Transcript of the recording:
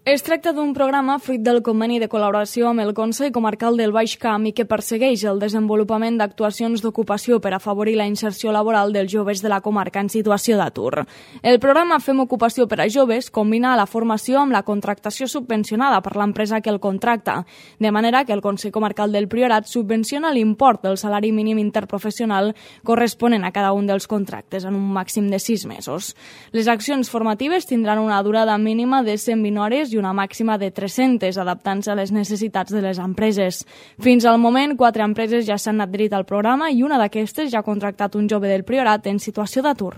Es tracta d'un programa fruit del conveni de col·laboració amb el Consell Comarcal del Baix Camp i que persegueix el desenvolupament d'actuacions d'ocupació per afavorir la inserció laboral dels joves de la comarca en situació d'atur. El programa Fem Ocupació per a Joves combina la formació amb la contractació subvencionada per l'empresa que el contracta, de manera que el Consell Comarcal del Priorat subvenciona l'import del salari mínim interprofessional corresponent a cada un dels contractes en un màxim de 6 mesos. Les accions formatives tindran una durada mínima de 120 hores i una màxima de 300, adaptant-se a les necessitats de les empreses. Fins al moment, 4 empreses ja s'han adherit al programa i una d'aquestes ja ha contractat un jove del Priorat en situació d'atur.